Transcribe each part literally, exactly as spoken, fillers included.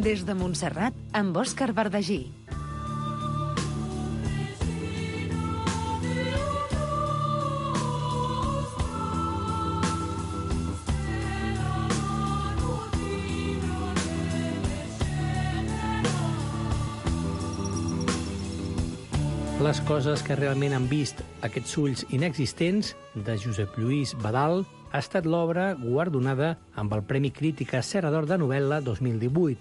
Des de Montserrat, amb Òscar Verdagí. Les coses que realment han vist aquests ulls inexistents, de Josep Lluís Badal, ha estat l'obra guardonada amb el Premi Crítica Serra d'Or de novel·la dos mil divuit.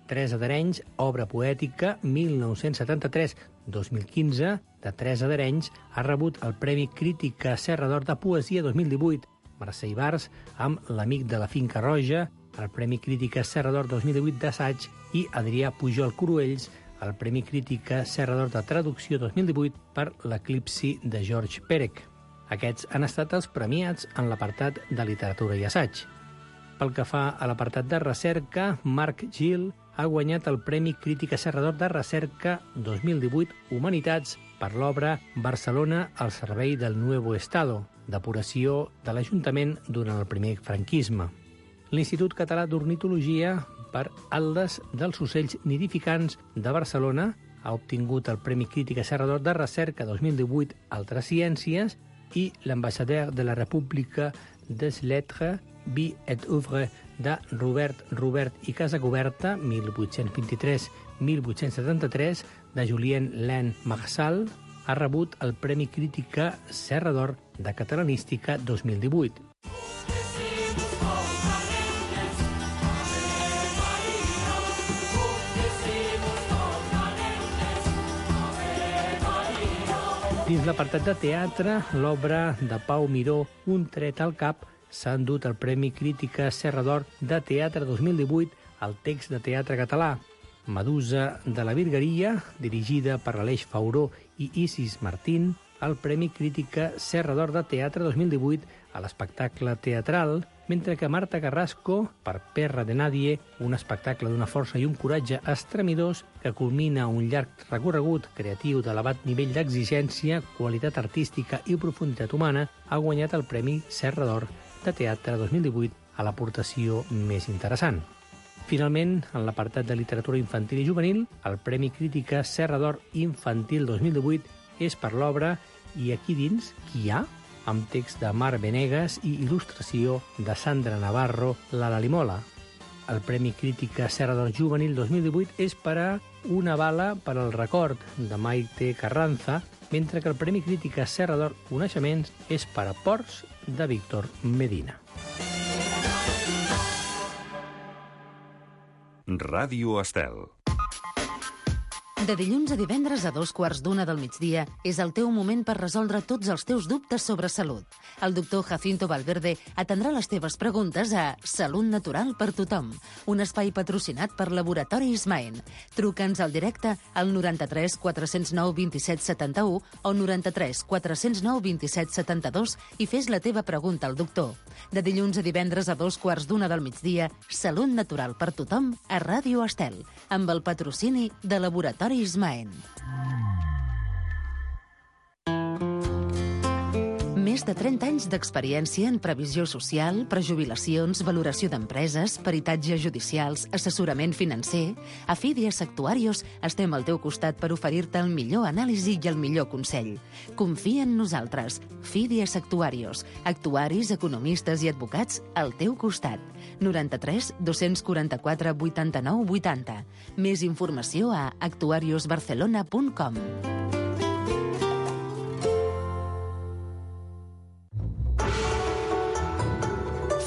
Teresa d'Arenys, obra poètica mil nou-cents setanta-tres a dos mil quinze, de Teresa d'Arenys, ha rebut el Premi Crítica Serra d'Or de Poesia dos mil divuit. Mercè Ibars, amb L'amic de la finca roja, el Premi Crítica Serra d'Or dos mil divuit d'assaig, i Adrià Pujol Cruells, el Premi Crítica Serra d'Or de Traducció dos mil divuit per L'eclipsi de George Perec. Aquests han estat els premiats en l'apartat de literatura i assaig. Pel que fa a l'apartat de recerca, Marc Gil ha guanyat el Premi Crítica Serra d'Or de Recerca dos mil divuit Humanitats per l'obra Barcelona al servei del Nuevo Estado, depuració de l'Ajuntament durant el primer franquisme. L'Institut Català d'Ornitologia per Atles dels ocells nidificants de Barcelona ha obtingut el Premi Crítica Serra d'Or de Recerca dos mil divuit Altres Ciències, i l'ambassadeur de la República des Lettres, Vie et Œuvre de Robert Robert i Casacoberta, mil vuit-cents vint-i-tres a mil vuit-cents setanta-tres, de Julien Len Marsal, ha rebut el Premi Crítica Serra d'Or de Catalanística dos mil divuit. Dins l'apartat de teatre, l'obra de Pau Miró, Un tret al cap, s'ha endut el Premi Crítica Serra d'Or de Teatre dos mil divuit al text de teatre català. Medusa de la Virgueria, dirigida per Aleix Fauró i Isis Martín, el Premi Crítica Serra d'Or de Teatre dos mil divuit a l'espectacle teatral, mentre que Marta Carrasco, per Perra de Nadie, un espectacle d'una força i un coratge estremidors que culmina un llarg recorregut creatiu d'elevat nivell d'exigència, qualitat artística i profunditat humana, ha guanyat el Premi Serra d'Or de Teatre dos mil divuit a l'aportació més interessant. Finalment, en l'apartat de literatura infantil i juvenil, el Premi Crítica Serra d'Or Infantil dos mil divuit és per l'obra I aquí dins qui hi ha?, amb text de Mar Venegas i il·lustració de Sandra Navarro, la Lalimola. El Premi Crítica Serra d'Or Juvenil dos mil divuit és per a Una bala per al record, de Maite Carranza, mentre que el Premi Crítica Serra d'Or Coneixements és per a Ports, de Víctor Medina. Ràdio Estel. De dilluns a divendres a dos quarts d'una del migdia és el teu moment per resoldre tots els teus dubtes sobre salut. El doctor Jacinto Valverde atendrà les teves preguntes a Salut Natural per Tothom, un espai patrocinat per Laboratori Ismaen. Truca'ns al directe al noranta-tres quatre zero nou dos set set u o noranta-tres quatre zero nou dos set set dos i fes la teva pregunta al doctor. De dilluns a divendres a dos quarts d'una del migdia, Salut Natural per Tothom a Ràdio Estel, amb el patrocini de Laboratori Ismaen. Més de trenta anys d'experiència en previsió social, prejubilacions, valoració d'empreses, peritatges judicials, assessorament financer. A Fidias Actuarios estem al teu costat per oferir-te el millor anàlisi i el millor consell. Confia en nosaltres. Fidias Actuarios. Actuaris, economistes i advocats al teu costat. noranta-tres dos quaranta-quatre vuitanta-nou vuitanta. Més informació a actuarios barcelona punt com.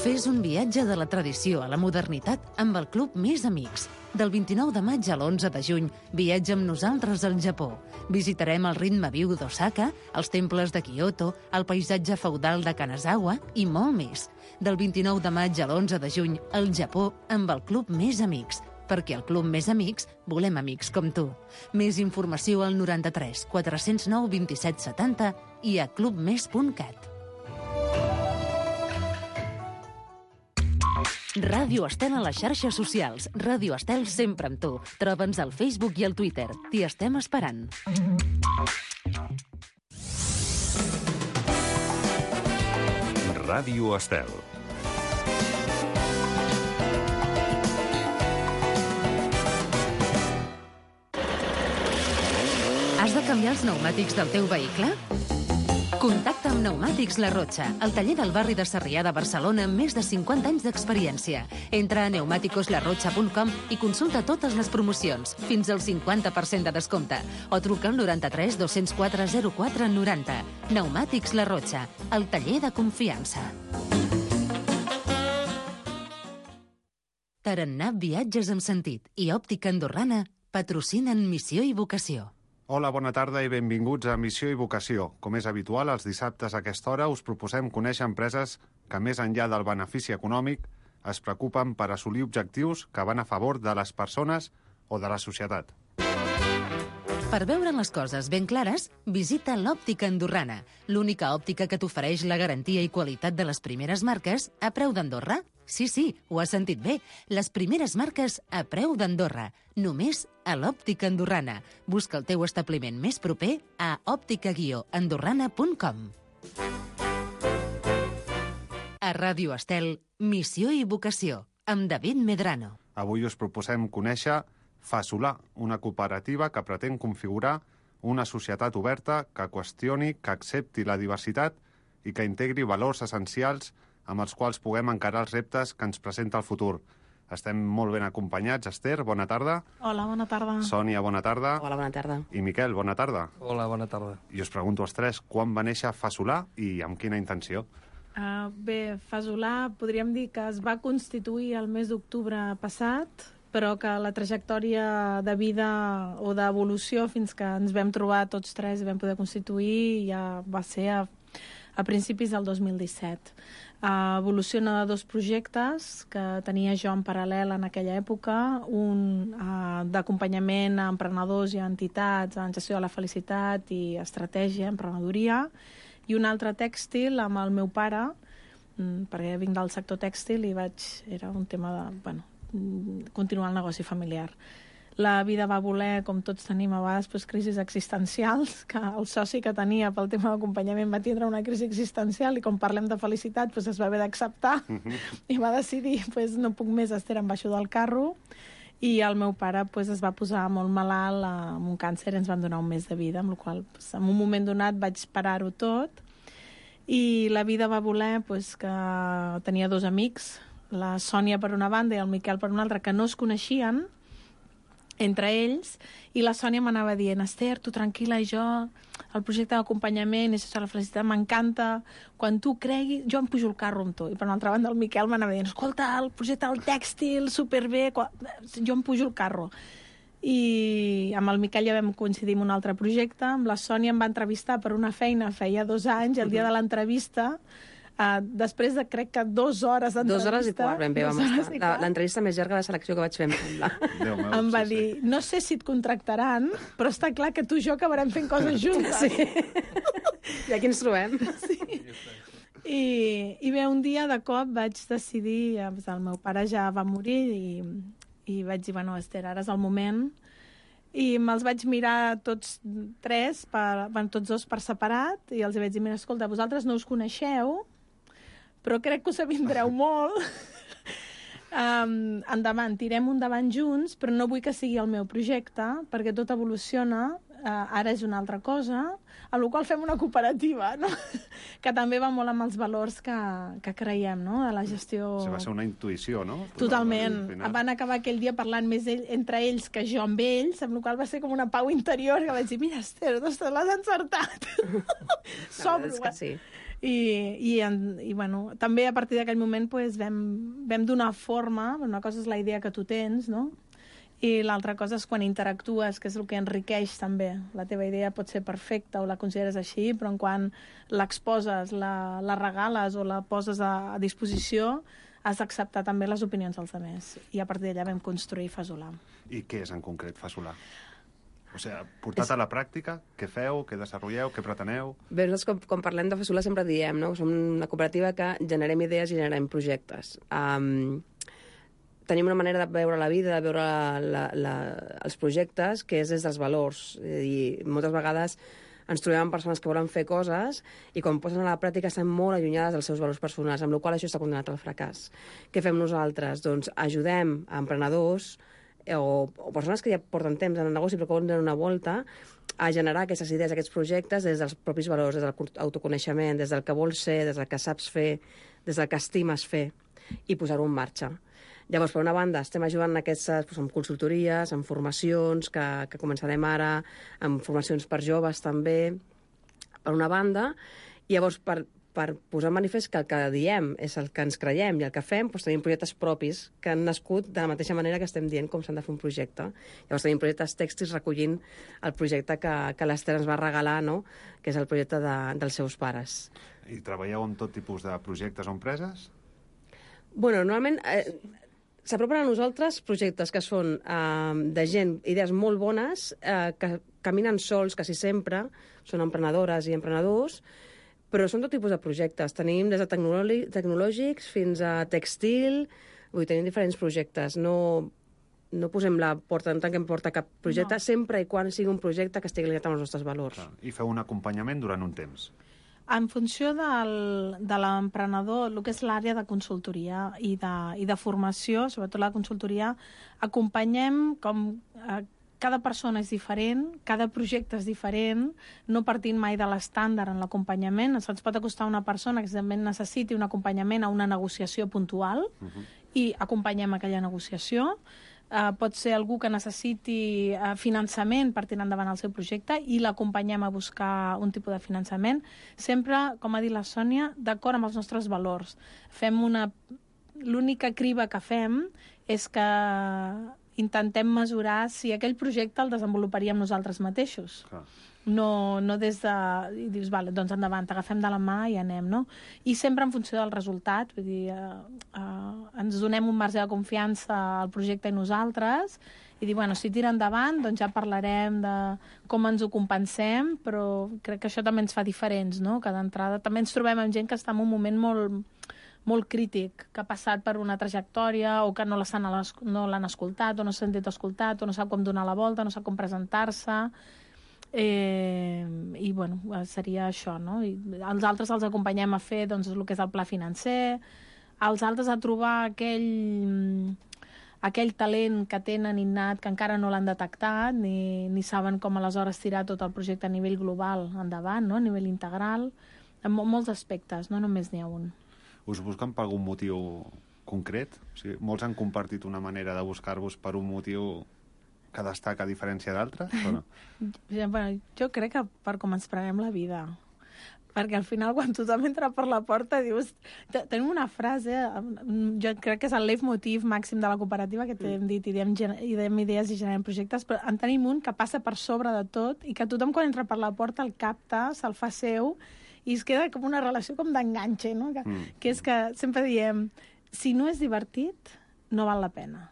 Fes un viatge de la tradició a la modernitat amb el Club Més Amics. Del vint-i-nou de maig a l'onze de juny, viatja amb nosaltres al Japó. Visitarem el ritme viu d'Osaka, els temples de Kyoto, el paisatge feudal de Kanazawa i molt més. Del vint-i-nou de maig a l'onze de juny, al Japó amb el Club Més Amics. Perquè al Club Més Amics volem amics com tu. Més informació al noranta-tres quatre zero nou dos set setanta i a clubmes punt cat. Ràdio Estel a les xarxes socials. Ràdio Estel sempre amb tu. Troba'ns al Facebook i al Twitter. T'hi estem esperant. Ràdio Estel. Has de canviar els pneumàtics del teu vehicle? Contacta amb Pneumàtics La Rotxa, el taller del barri de Sarrià de Barcelona amb més de cinquanta anys d'experiència. Entra a pneumáticos la rotxa punt com i consulta totes les promocions, fins al cinquanta per cent de descompte. O truca al noranta-tres dos-cents quatre zero quatre noranta. Pneumàtics La Rotxa, el taller de confiança. Tarannà Viatges amb Sentit i Òptica Andorrana patrocinen Missió i Vocació. Hola, bona tarda i benvinguts a Missió i Vocació. Com és habitual, els dissabtes a aquesta hora us proposem conèixer empreses que, més enllà del benefici econòmic, es preocupen per assolir objectius que van a favor de les persones o de la societat. Per veure les coses ben clares, visita l'Òptica Andorrana, l'única òptica que t'ofereix la garantia i qualitat de les primeres marques a preu d'Andorra. Sí, sí, ho has sentit bé. Les primeres marques a preu d'Andorra. Només a l'Òptica Andorrana. Busca el teu establiment més proper a òptica guió andorrana punt com. A Ràdio Estel, Missió i Vocació, amb David Medrano. Avui us proposem conèixer Fasolà, una cooperativa que pretén configurar una societat oberta que qüestioni, que accepti la diversitat i que integri valors essencials amb els quals puguem encarar els reptes que ens presenta el futur. Estem molt ben acompanyats. Esther, bona tarda. Hola, bona tarda. Sònia, bona tarda. Hola, bona tarda. I Miquel, bona tarda. Hola, bona tarda. I us pregunto als tres, quan va néixer Fasolà i amb quina intenció? Uh, bé, Fasolà podríem dir que es va constituir el mes d'octubre passat, però que la trajectòria de vida o d'evolució fins que ens vam trobar tots tres i vam poder constituir ja va ser a, a principis del dos mil disset. Uh, evoluciona de dos projectes que tenia jo en paral·lel en aquella època, un uh, d'acompanyament a emprenedors i a entitats en gestió de la felicitat i estratègia, emprenedoria, i un altre tèxtil amb el meu pare, mm, perquè vinc del sector tèxtil i vaig, era un tema de, bueno, continuar el negoci familiar. La vida va voler, com tots tenim a vegades, pues, crisis existencials, que el soci que tenia pel tema d'acompanyament va tindre una crisi existencial i com parlem de felicitat pues, es va haver d'acceptar uh-huh. i va decidir pues, no puc més, Esther, em baixo del carro, i el meu pare pues, es va posar molt malalt amb un càncer i ens van donar un mes de vida, amb la qual pues, en un moment donat vaig parar-ho tot i la vida va voler pues, que tenia dos amics, la Sònia per una banda i el Miquel per una altra, que no es coneixien entre ells, i la Sònia m'anava dient, Esther, tu tranquil·la, i jo, el projecte d'acompanyament, és la felicitat, m'encanta, quan tu creguis, jo em pujo el carro amb tu. I per una altra banda el Miquel m'anava dient, escolta, el projecte del tèxtil, superbé, jo em pujo el carro. I amb el Miquel ja vam coincidir en un altre projecte, amb la Sònia em va entrevistar per una feina feia dos anys, el dia de l'entrevista, Uh, després de, crec que, dues hores d'entrevista... Dues hores i quart ben bé vam estar. L'entrevista més llarga de selecció que vaig fer, em sembla. Meu, em va sí, dir, sí. no sé si et contractaran, però està clar que tu i jo acabarem fent coses juntes. Sí. I aquí ens trobem. Sí. I, I bé, un dia, de cop, vaig decidir... El meu pare ja va morir i, i vaig dir, bueno, Esther, ara és el moment... I me'ls vaig mirar tots tres, per, bueno, tots dos per separat, i els vaig dir, mira, escolta, vosaltres no us coneixeu, però crec que us avindreu molt. um, endavant, tirem un davant junts, però no vull que sigui el meu projecte, perquè tot evoluciona, uh, ara és una altra cosa, amb la qual fem una cooperativa, no? que també va molt amb els valors que, que creiem, no? De la gestió... O sigui, va ser una intuïció, no? Totalment. Van acabar aquell dia parlant més ell, entre ells que jo amb ells, amb la qual va ser com una pau interior, que vaig dir, mira, Esther, ostres, l'has encertat. Sobro, és que sí. I, i, i bueno, també a partir d'aquell moment pues, vam, vam donar forma, una cosa és la idea que tu tens, no? I l'altra cosa és quan interactues, que és el que enriqueix també. La teva idea pot ser perfecta o la consideres així, però en quan l'exposes, la, la regales o la poses a, a disposició, has d'acceptar també les opinions dels altres. I a partir d'allà vam construir Fasolà. I què és en concret Fasolà? O sigui, portat a la pràctica, què feu, què desenvolupeu, què preteneu? Bé, nosaltres, com, com parlem de Fasolà, sempre diem, no? Som una cooperativa que generem idees i generem projectes. Um, tenim una manera de veure la vida, de veure la, la, la, els projectes, que és des dels valors. És a dir, moltes vegades ens trobem amb persones que volen fer coses i quan posen a la pràctica estan molt allunyades dels seus valors personals, amb la qual cosa això està condemnat al fracàs. Què fem nosaltres? Doncs ajudem a emprenedors o, o persones que ja porten temps en el negoci però que volen donar una volta, a generar aquestes idees, aquests projectes des dels propis valors, des de l'autoconeixement, des del que vols ser, des del que saps fer, des del que estimes fer, i posar-ho en marxa. Llavors, per una banda, estem ajudant en aquestes, doncs, amb consultories, amb formacions, que, que començarem ara, amb formacions per joves també, per una banda, i llavors per, per posar en manifest que el que diem és el que ens creiem i el que fem, doncs tenim projectes propis que han nascut de la mateixa manera que estem dient com s'han de fer un projecte. Llavors tenim projectes tèxtils recollint el projecte que, que l'Ester ens va regalar, no? Que és el projecte de, dels seus pares. I treballeu amb tot tipus de projectes o empreses? Bueno, normalment eh, s'apropen a nosaltres projectes que són eh, de gent, idees molt bones, eh, que caminen sols quasi sempre, són emprenedores i emprenedors, però són tot tipus de projectes. Tenim des de tecnològics fins a textil, vull dir, tenim diferents projectes. No, no posem la porta, no tanquem porta a cap projecte, no. Sempre i quan sigui un projecte que estigui ligat amb els nostres valors. Clar. I feu un acompanyament durant un temps. En funció del, de l'emprenedor, el que és l'àrea de consultoria i de, i de formació, sobretot la consultoria, acompanyem com... Eh, cada persona és diferent, cada projecte és diferent, no partint mai de l'estàndard en l'acompanyament. Se'ns pot acostar una persona que també necessiti un acompanyament a una negociació puntual uh-huh. i acompanyem aquella negociació. Uh, pot ser algú que necessiti uh, finançament per tirar endavant el seu projecte i l'acompanyem a buscar un tipus de finançament. Sempre, com ha dit la Sònia, d'acord amb els nostres valors. Fem una... L'única criba que fem és que intentem mesurar si aquell projecte el desenvoluparíem nosaltres mateixos. Clar. No, no des de... I dius, vale, doncs endavant, t'agafem de la mà i anem, no? I sempre en funció del resultat, vull dir, eh, eh, ens donem un marge de confiança al projecte i nosaltres, i dir, bueno, si tira endavant, doncs ja parlarem de com ens ho compensem, però crec que això també ens fa diferents, no? Que d'entrada també ens trobem amb gent que està en un moment molt... molt crític, que ha passat per una trajectòria o que no l'han no l'han escoltat o no s'ha sentit escoltat o no sap com donar la volta, no sap com presentar-se. Eh, I, bueno, seria això, no? I els altres els acompanyem a fer doncs, el que és el pla financer, els altres a trobar aquell, aquell talent que tenen innat, que encara no l'han detectat, ni, ni saben com aleshores tirar tot el projecte a nivell global endavant, no? A nivell integral, en molts aspectes, no només n'hi ha un. Us busquen per algun motiu concret? O sigui, molts han compartit una manera de buscar-vos per un motiu que destaca a diferència d'altres, o no? Bueno, jo crec que per com ens prenem la vida. Perquè al final, quan tothom entra per la porta, dius... Tenim una frase, jo crec que és el leitmotiv màxim de la cooperativa, que t'hem dit, i diem idees i generem projectes, però en tenim un que passa per sobre de tot i que tothom, quan entra per la porta, el capta, se'l fa seu, i es queda com una relació com d'enganxe, no? Que, mm. que és que sempre diem, si no és divertit, no val la pena.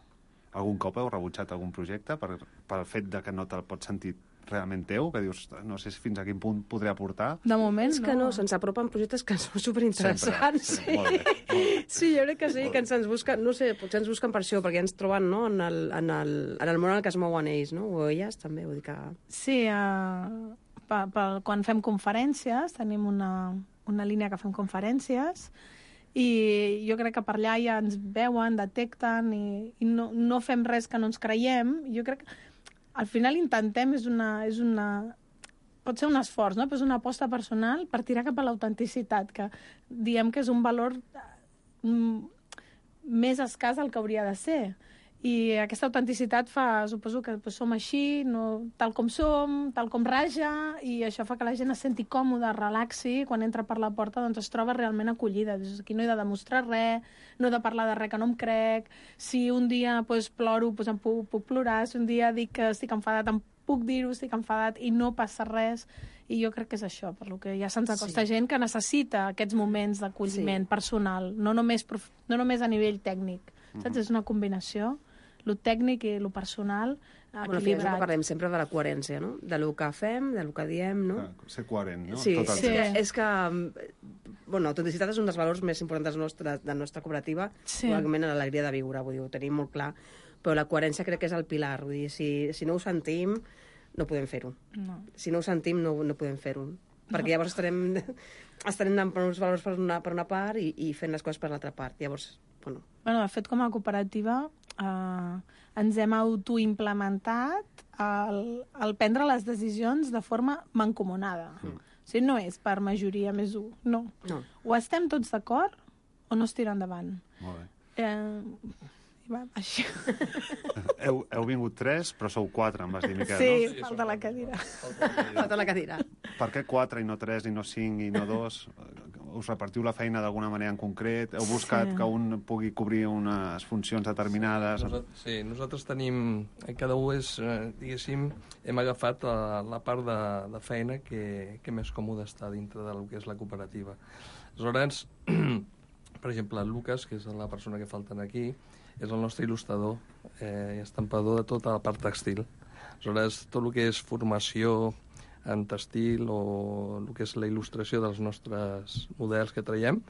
Algun cop heu rebutjat algun projecte per, per el fet de que no te'l pots sentir realment teu, que dius, no sé fins a quin punt podré aportar? De moment, és que no, no se'ns apropen projectes que són superinteressants. Sempre, sí. Molt bé, molt bé. Sí, jo crec que sí, que ens busquen, no sé, potser ens busquen per això, perquè ens troben, no?, en el, en el, en el món en el que es mouen ells, no?, o elles també, vull dir que... Sí, uh... Pa, pa, quan fem conferències, tenim una, una línia que fem conferències i jo crec que per allà ja ens veuen, detecten i, i no, no fem res que no ens creiem. Jo crec que al final intentem, és una, és una, pot ser un esforç, no? Però és una aposta personal per tirar cap a l'autenticitat, que diem que és un valor mm, més escàs del que hauria de ser. I aquesta autenticitat fa, suposo que pues, som així, no, tal com som, tal com raja, i això fa que la gent es senti còmoda, relaxi, quan entra per la porta doncs es troba realment acollida. Aquí no he de demostrar res, no he de parlar de res que no em crec, si un dia pues, ploro, pues, em puc, puc plorar, si un dia dic que estic enfadat, em puc dir-ho, estic enfadat, i no passa res. I jo crec que és això, per lo que ja se'ns acosta sí. gent que necessita aquests moments d'acolliment sí. personal, no només, prof... no només a nivell tècnic. Mm-hmm. Saps? És una combinació. Lo tècnic i lo personal equilibrat. Bueno, parlem sempre de la coherència, no? De lo que fem, de lo que diem, no? Ah, ser coherent, no? Sí, Tot el sí. És, és que... Bueno, l'autenticitat és un dels valors més importants nostre, de la nostra cooperativa, sí. probablement l'alegria de viure, vull dir, ho tenim molt clar, però la coherència crec que és el pilar, vull dir, si, si no ho sentim, no podem fer-ho. No. Si no ho sentim, no, no podem fer-ho. Perquè llavors estarem, estarem anant per uns valors per una, per una part i, i fent les coses per l'altra part. Llavors, bueno... Bueno, de fet, com a cooperativa, eh, ens hem autoimplementat el, el prendre les decisions de forma mancomunada. Mm. O sigui, no és per majoria més un, no. no. O estem tots d'acord o no es tira endavant. Molt bé. Eh, va, així. heu, heu vingut tres, però sou quatre, em vas dir, Miquel, sí, no? Sí, falta la cadira. Falta la cadira. Per què quatre i no tres i no cinc i no dos? Us repartiu la feina d'alguna manera en concret? Heu buscat sí. que un pugui cobrir unes funcions determinades? Sí, nosaltres, sí, nosaltres tenim... Cada un és, diguéssim, hem agafat la, la part de, de feina que, que més còmode està dintre del que és la cooperativa. Aleshores, per exemple, el Lucas, que és la persona que falten aquí, és el nostre il·lustrador eh, i estampador de tota la part textil. Aleshores, tot el que és formació en textil o el que és la il·lustració dels nostres models que traiem,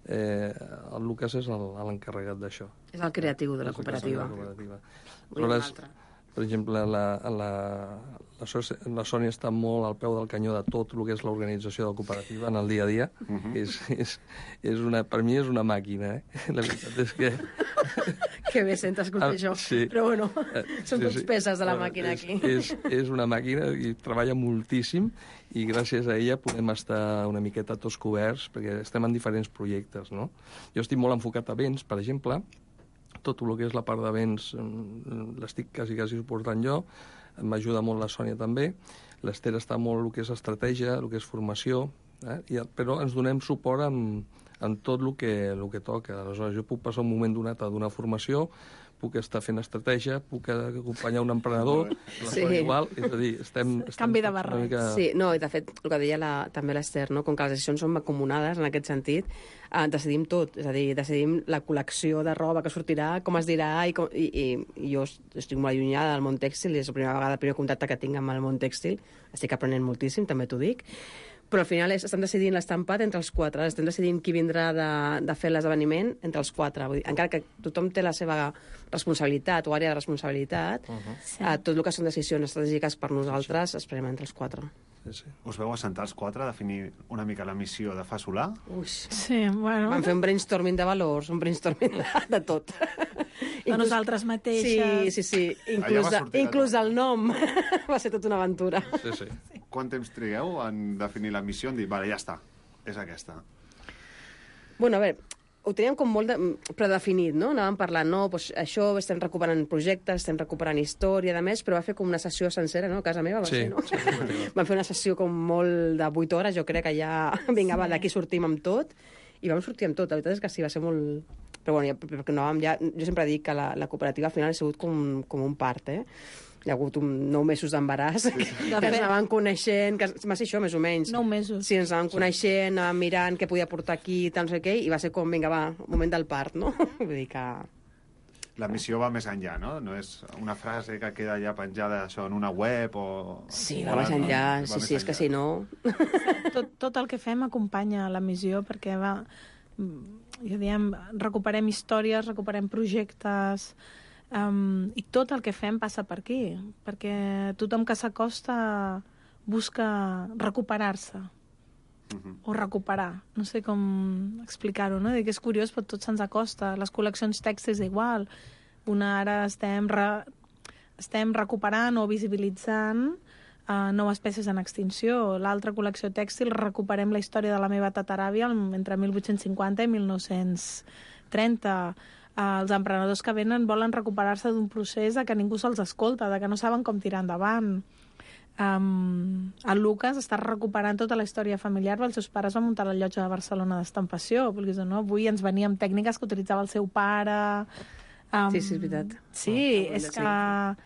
eh, el Lucas és l'encarregat d'això. És el creatiu de la cooperativa. De la cooperativa. Aleshores, per exemple, la, la, la, la Sònia està molt al peu del canyó de tot el que és l'organització de la cooperativa en el dia a dia. Uh -huh. és, és, és una, per mi és una màquina, eh? La veritat és que... Que bé sents escoltar això. Sí. Però bueno, són sí, tots sí. peces de la bueno, màquina és, aquí. És, és una màquina i treballa moltíssim i gràcies a ella podem estar una miqueta tots coberts perquè estem en diferents projectes, no? Jo estic molt enfocat a béns, per exemple. Tot el que és la part de béns l'estic quasi, quasi suportant jo. M'ajuda molt la Sònia també. L'Ester està molt el que és estratègia, el que és formació, eh? I, però ens donem suport amb, amb tot el que, el que toca. Aleshores, jo puc passar un moment donat a donar formació, puc estar fent estratègia, puc acompanyar un emprenedor, la sí. igual, és a dir, estem... estem Canvi de barret. Mica... Sí, no, i de fet, el que deia la, també l'Ester, no? Com que les decisions són mancomunades en aquest sentit, eh, decidim tot, és a dir, decidim la col·lecció de roba que sortirà, com es dirà, i, com, i, i, i jo estic molt allunyada del món tèxtil, és la primera vegada, el primer contacte que tinc amb el món tèxtil, estic aprenent moltíssim, també t'ho dic, però al final és, estan decidint l'estampat entre els quatre, estem decidint qui vindrà de, de fer l'esdeveniment entre els quatre. Vull dir, encara que tothom té la seva responsabilitat o àrea de responsabilitat, uh -huh. sí. eh, tot el que són decisions estratègiques per nosaltres es prenen entre els quatre. Sí, sí. Us veu assentar els quatre a definir una mica la missió de Fa Solar? Ui. Sí, bueno... Vam fer un brainstorming de valors, un brainstorming de, de tot. De nosaltres mateixes. Sí, sí, sí. Inclús, de, inclús el nom va ser tota una aventura. Sí, sí. Quant temps trigueu en definir la missió, en dir, vale, ja està, és aquesta? Bueno, a veure, ho teníem com molt de, predefinit, no? Anàvem parlant, no, doncs això, estem recuperant projectes, estem recuperant història, de més, però va fer com una sessió sencera, no? A casa meva va sí, ser, no? Sí, vam fer una sessió com molt de vuit hores, jo crec que ja, vinga, va, d'aquí sortim amb tot, i vam sortir amb tot, la veritat és que sí, va ser molt... Però bueno, ja, perquè no, ja, jo sempre dic que la, la cooperativa al final ha sigut com, com un part, eh? Hi ha hagut un nou mesos d'embaràs, sí, sí. que ens anaven coneixent, que va ser això, més o menys. Nou mesos. Sí, ens anaven coneixent, anàvem mirant què podia portar aquí, tal, no sé què, i va ser com, vinga, va, moment del part, no? Vull dir que... La missió va més enllà, no? No és una frase que queda ja penjada això en una web o... Sí, va més enllà, sí, sí, és que si no... Tot, tot el que fem acompanya la missió, perquè va... Ja diem, recuperem històries, recuperem projectes... Um, i tot el que fem passa per aquí, perquè tothom que s'acosta busca recuperar-se uh-huh. o recuperar, no sé com explicar-ho, no? Que és curiós, però tot se'ns acosta. Les col·leccions tèxtils igual, una ara estem, re... estem recuperant o visibilitzant uh, noves peces en extinció. L'altra col·lecció tèxtil recuperem la història de la meva tataràvia entre mil vuit-cents cinquanta i mil nou-cents trenta. Uh, els emprenedors que venen volen recuperar-se d'un procés de que ningú se'ls escolta, de que no saben com tirar endavant. Um, el Lucas està recuperant tota la història familiar, els seus pares van muntar la llotja de Barcelona d'estampació, perquè no? Avui ens venia amb tècniques que utilitzava el seu pare. Um, sí, sí, és veritat. Sí, oh, és que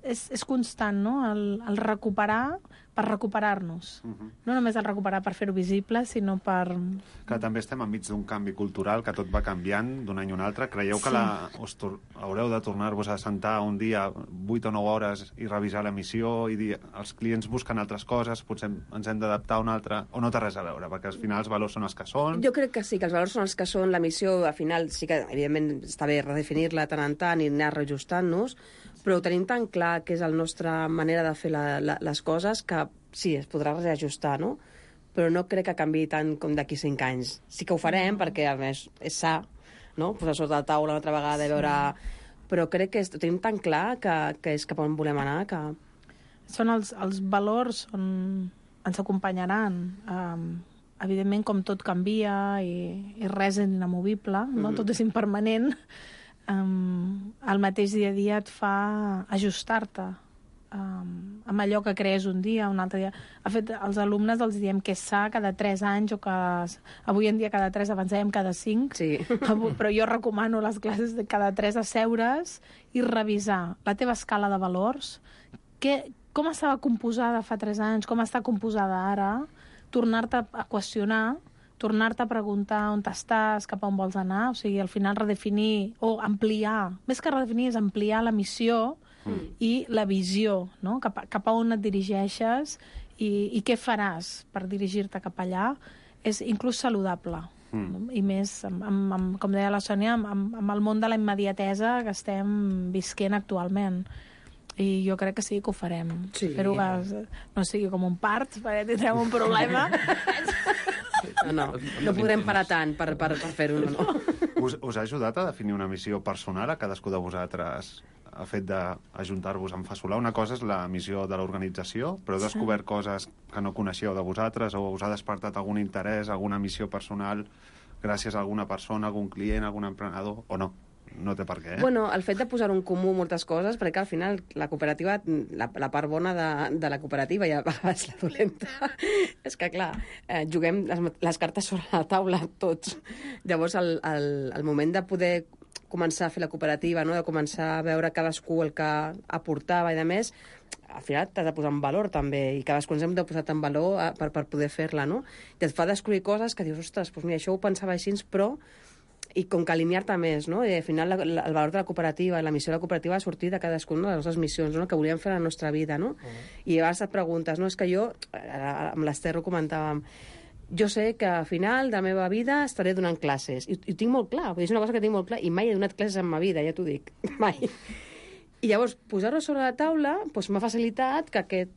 és, és constant, no?, el, el recuperar per recuperar-nos. Uh-huh. No només el recuperar per fer-ho visible, sinó per... Que també estem enmig d'un canvi cultural, que tot va canviant d'un any a un altre. Creieu sí. que la, us tor haureu de tornar-vos a sentar un dia vuit o nou hores i revisar la missió i dir els clients busquen altres coses, potser ens hem d'adaptar a una altra, o no té res a veure, perquè al final els valors són els que són? Jo crec que sí, que els valors són els que són. La missió, al final, sí que, evidentment, està bé redefinir-la tant en tant i anar reajustant-nos, però ho tenim tan clar que és la nostra manera de fer la, la, les coses que sí, es podrà reajustar, no? Però no crec que canviï tant com d'aquí cinc anys. Sí que ho farem, perquè a més és sa, no? Posar sota la taula una altra vegada i veure... però crec que és, tenim tan clar que, que és cap on volem anar que... Són els, els valors on ens acompanyaran. Um, evidentment, com tot canvia i, i res és inamovible, no? Mm. Tot és impermanent, um, el mateix dia a dia et fa ajustar-te um, amb allò que crees un dia, un altre dia. De fet, als alumnes els diem que és sa cada tres anys o que avui en dia cada tres, abans dèiem cada cinc, Sí. però jo recomano les classes de cada tres asseure's i revisar la teva escala de valors, que, com estava composada fa tres anys, com està composada ara, tornar-te a qüestionar, tornar-te a preguntar on estàs, cap a on vols anar, o sigui, al final redefinir o ampliar, més que redefinir és ampliar la missió mm. i la visió, no? cap, a, cap a on et dirigeixes i, i què faràs per dirigir-te cap allà, és inclús saludable. Mm. No? I més, amb, amb, amb, com deia la Sònia, amb, amb el món de la immediatesa que estem visquent actualment. I jo crec que sí que ho farem. Sí. Espero que no sigui com un part, perquè tindrem un problema. No, no, no podrem parar tant per, per, per fer-ho, no. Us, us ha ajudat a definir una missió personal a cadascú de vosaltres el fet d'ajuntar-vos en Fasolà? Una cosa és la missió de l'organització, però heu descobert coses que no coneixeu de vosaltres o us ha despertat algun interès, alguna missió personal gràcies a alguna persona, algun client, algun emprenedor, o no? No té per què, eh? Bueno, el fet de posar en comú moltes coses, perquè al final la cooperativa, la, la part bona de, de la cooperativa i a vegades la dolenta, és que, clar, eh, juguem les, les cartes sobre la taula tots. Llavors, el, el, el moment de poder començar a fer la cooperativa, no? De començar a veure cadascú el que aportava i de més, al final t'has de posar en valor també, i cadascú ens hem de posar en valor a, per, per poder fer-la, no? I et fa descobrir coses que dius, ostres, doncs mira, això ho pensava així, però i com que alinear-te més, no? I al final la, la, el valor de la cooperativa i la missió de la cooperativa ha sortit de cadascuna de les nostres missions, no? Que volíem fer a la nostra vida, no? Uh -huh. I a vegades et preguntes, no? És que jo, amb l'Ester ho comentàvem, jo sé que al final de la meva vida estaré donant classes, i, i ho tinc molt clar, és una cosa que tinc molt clar, i mai he donat classes en ma vida, ja t'ho dic, mai. I llavors, posar-ho sobre la taula doncs, m'ha facilitat que aquest,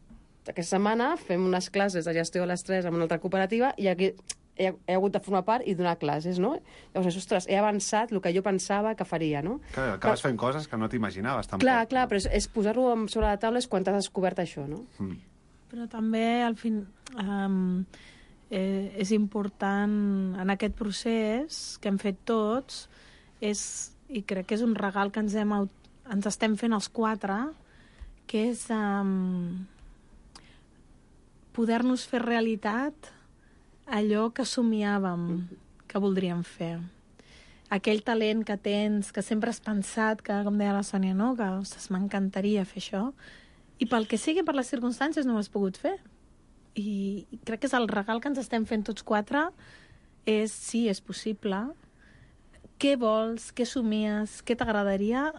aquesta setmana fem unes classes de gestió a les tres amb una altra cooperativa, i aquí he, he hagut de formar part i donar classes, no? Llavors, ostres, he avançat el que jo pensava que faria, no? Clar, acabes fent coses que no t'imaginaves, tampoc. Clar, clar, però és, és posar-ho sobre la taula és quan t'has descobert això, no? Mm. Però també, al fin, um, eh, és important en aquest procés que hem fet tots, és, i crec que és un regal que ens, hem, ens estem fent els quatre, que és um, poder-nos fer realitat allò que somiàvem que voldríem fer. Aquell talent que tens, que sempre has pensat, que, com deia la Sònia, no? Que ostres, m'encantaria fer això, i pel que sigui, per les circumstàncies, no ho has pogut fer. I, i crec que és el regal que ens estem fent tots quatre, és, sí, és possible. Què vols? Què somies? Què t'agradaria?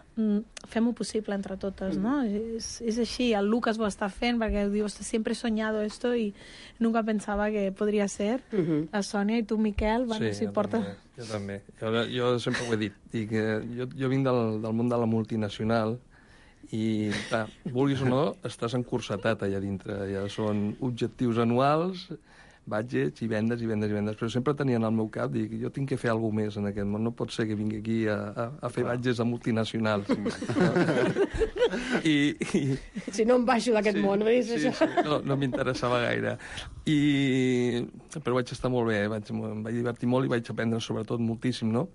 Fem-ho possible entre totes, no? És, és així. El Lucas ho està fent perquè diu, sempre he soñado esto y nunca pensaba que podria ser. Uh -huh. La Sònia i tu, Miquel, bueno, sí, si jo porta... També, jo també. Jo, jo sempre ho he dit. Dic, jo, jo vinc del, del món de la multinacional i, clar, vulguis o no, estàs encursetat allà dintre. Ja són objectius anuals, budgets i vendes i vendes i vendes, però sempre tenia en el meu cap, dic, jo tinc que fer alguna més en aquest món, no pot ser que vingui aquí a, a, a fer budgets a multinacionals. I, i, si no em baixo d'aquest sí, món, veus, sí, això? Sí, no, no m'interessava gaire. I, però vaig estar molt bé, vaig, em vaig divertir molt i vaig aprendre sobretot moltíssim, no?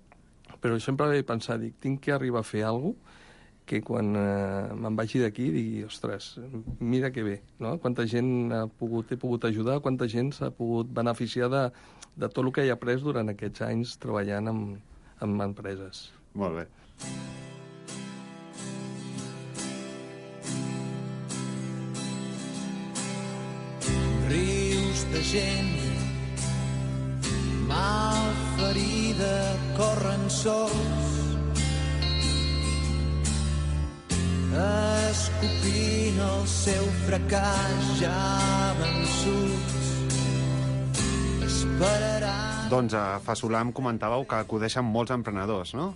Però sempre vaig pensar, dic, tinc que arribar a fer alguna cosa que quan eh, me'n vagi d'aquí digui, ostres, mira que bé, no? Quanta gent ha pogut, he pogut ajudar, quanta gent s'ha pogut beneficiar de, de tot el que he après durant aquests anys treballant amb, amb empreses. Molt bé. Rius de gent mal ferida corren sols escopint el seu fracàs ja vençuts esperaran... Doncs a Fasolà em comentàveu que acudeixen molts emprenedors, no?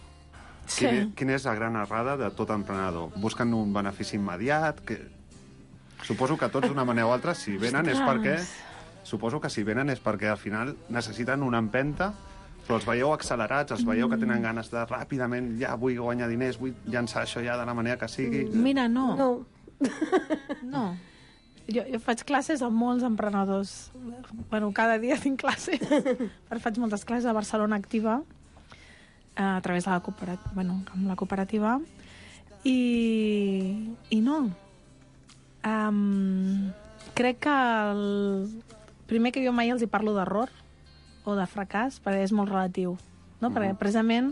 Sí. Quin, quina és la gran errada de tot emprenedor? Busquen un benefici immediat? Que... Suposo que tots d'una manera o altra, si venen és perquè... Suposo que si venen és perquè al final necessiten una empenta Però els veieu accelerats, els veieu que tenen ganes de ràpidament, ja vull guanyar diners, vull llançar això ja de la manera que sigui. Mira, no. No. No. Jo, jo faig classes amb molts emprenedors. Bueno, cada dia tinc classe. Però faig moltes classes a Barcelona Activa, a través de la cooperativa, bueno, amb la cooperativa. I, i no. Um, crec que el primer que jo mai els hi parlo d'error o de fracàs, perquè és molt relatiu, no? Mm-hmm. Perquè precisament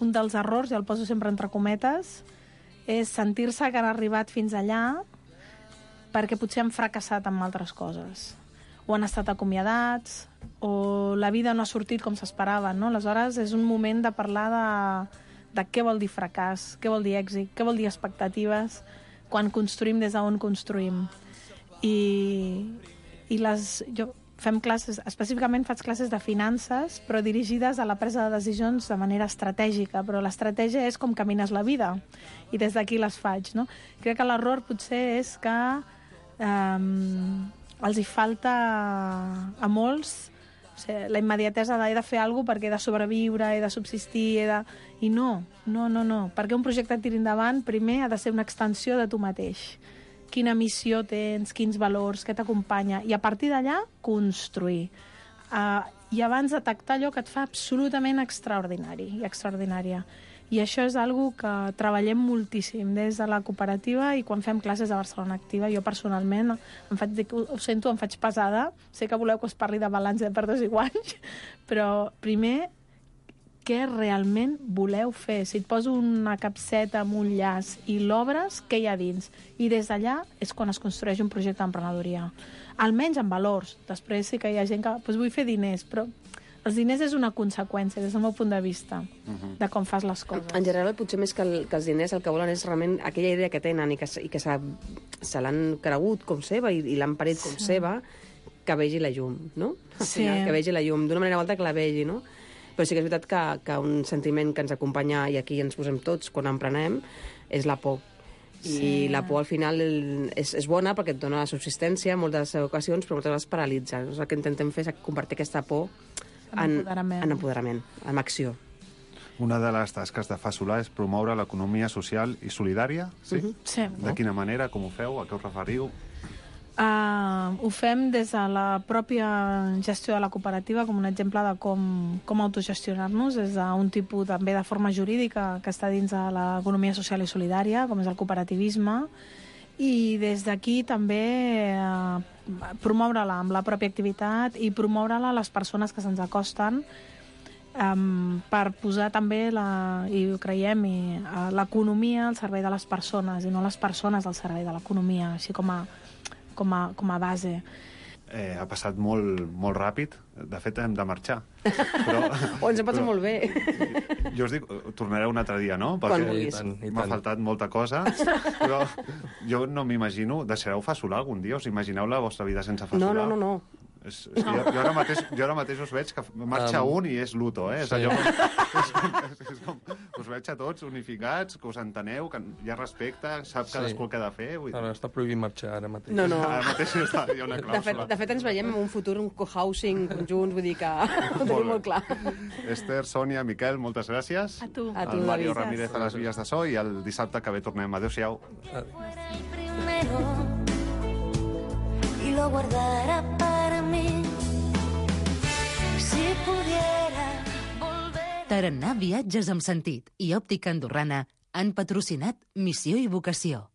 un dels errors, i el poso sempre entre cometes, és sentir-se que han arribat fins allà perquè potser han fracassat amb altres coses, o han estat acomiadats, o la vida no ha sortit com s'esperava, no? Aleshores és un moment de parlar de, de què vol dir fracàs, què vol dir èxit, què vol dir expectatives, quan construïm des d'on construïm. I, i les, jo fem classes, específicament faig classes de finances, però dirigides a la presa de decisions de manera estratègica, però l'estratègia és com camines la vida, i des d'aquí les faig, no? Crec que l'error potser és que um, els hi falta a molts, o sigui, la immediatesa de he de fer alguna cosa perquè he de sobreviure, he de subsistir, he de... I no, no, no, no. Perquè un projecte et tiri endavant, primer ha de ser una extensió de tu mateix. Quina missió tens, quins valors, què t'acompanya, i a partir d'allà construir. Uh, I abans detectar allò que et fa absolutament extraordinari i extraordinària. I això és algo que treballem moltíssim des de la cooperativa i quan fem classes a Barcelona Activa. Jo personalment, em faig, ho sento, em faig pesada. Sé que voleu que us parli de balanç de perdes i guanys, però primer, què realment voleu fer? Si et poso una capseta amb un llaç i l'obres, què hi ha dins? I des d'allà és quan es construeix un projecte d'emprenedoria. Almenys amb valors. Després sí que hi ha gent que doncs vull fer diners, però els diners és una conseqüència, des del meu punt de vista, uh-huh. de com fas les coses. En general, potser més que, el, que els diners, el que volen és realment aquella idea que tenen i que, i que se l'han cregut com seva i, i l'han parit com sí. seva, que vegi la llum, no? Sí. Que vegi la llum, d'una manera o altra que la vegi, no? Però sí que és veritat que, que un sentiment que ens acompanya, i aquí ens posem tots quan emprenem, és la por. I sí. la por al final és, és bona perquè et dona la subsistència en moltes ocasions, però moltes vegades paralitza. Llavors, el que intentem fer és convertir aquesta por en, en empoderament, en, empoderament, en acció. Una de les tasques de Fa Solar és promoure l'economia social i solidària? Sí? Uh-huh. Sí. De quina manera, com ho feu, a què us referiu? Uh, ho fem des de la pròpia gestió de la cooperativa com un exemple de com, com autogestionar-nos, des d'un tipus també de forma jurídica que està dins de l'economia social i solidària, com és el cooperativisme, i des d'aquí també uh, promoure-la amb la pròpia activitat i promoure-la a les persones que se'ns acosten, um, per posar també, la, i ho creiem, i, uh, l'economia al servei de les persones i no les persones al servei de l'economia, així com a Com a, com a base. Eh, ha passat molt, molt ràpid. De fet, hem de marxar. Però, o ens ha passat molt bé. Jo us dic, tornareu un altre dia, no? Perquè m'ha faltat molta cosa. Però jo no m'imagino... Deixareu Fa Solar algun dia? Us imagineu la vostra vida sense Fa Solar? No, no, no, no. És, és jo, jo, ara mateix, jo ara mateix us veig que marxa um, un i és luto, eh? És, allò, és, com, és, és com, us veig a tots unificats, que us enteneu, que hi ha respecte, sap sí. cadascú el que ha de fer. Vull dir... Ara està prohibit marxar ara mateix. No, no. Ara mateix està, hi ha una clàusula. De fet, de fet, ens veiem en un futur, un co-housing conjunts, vull dir que ho tenim molt clar. Esther, Sònia, Miquel, moltes gràcies. A tu. A tu, el Mario Ramírez a les vies de so i el dissabte que ve tornem. Adéu-siau. Y lo guardara para mí. Si pudiera volver... Tarannà Viatges amb Sentit i Òptica Andorrana han patrocinat Missió i Vocació.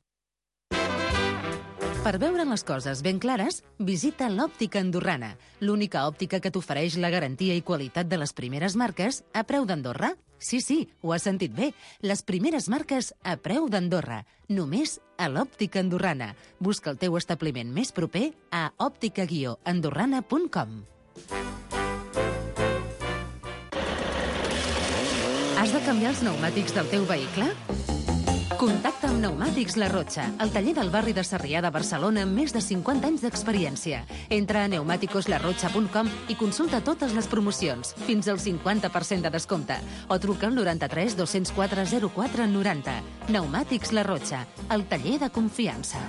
Per veure les coses ben clares, visita l'Òptica Andorrana, l'única òptica que t'ofereix la garantia i qualitat de les primeres marques a preu d'Andorra. Sí, sí, ho has sentit bé. Les primeres marques a preu d'Andorra. Només a l'Òptica Andorrana. Busca el teu establiment més proper a òptica guió andorrana punt com. Has de canviar els pneumàtics del teu vehicle? Contacta amb Pneumàtics La Rotxa, el taller del barri de Sarrià de Barcelona amb més de cinquanta anys d'experiència. Entra a pneumàticos la rotxa punt com i consulta totes les promocions, fins al cinquanta per cent de descompte, o truca al noranta-tres dos-cents quatre zero quatre noranta. Pneumàtics La Rotxa, el taller de confiança.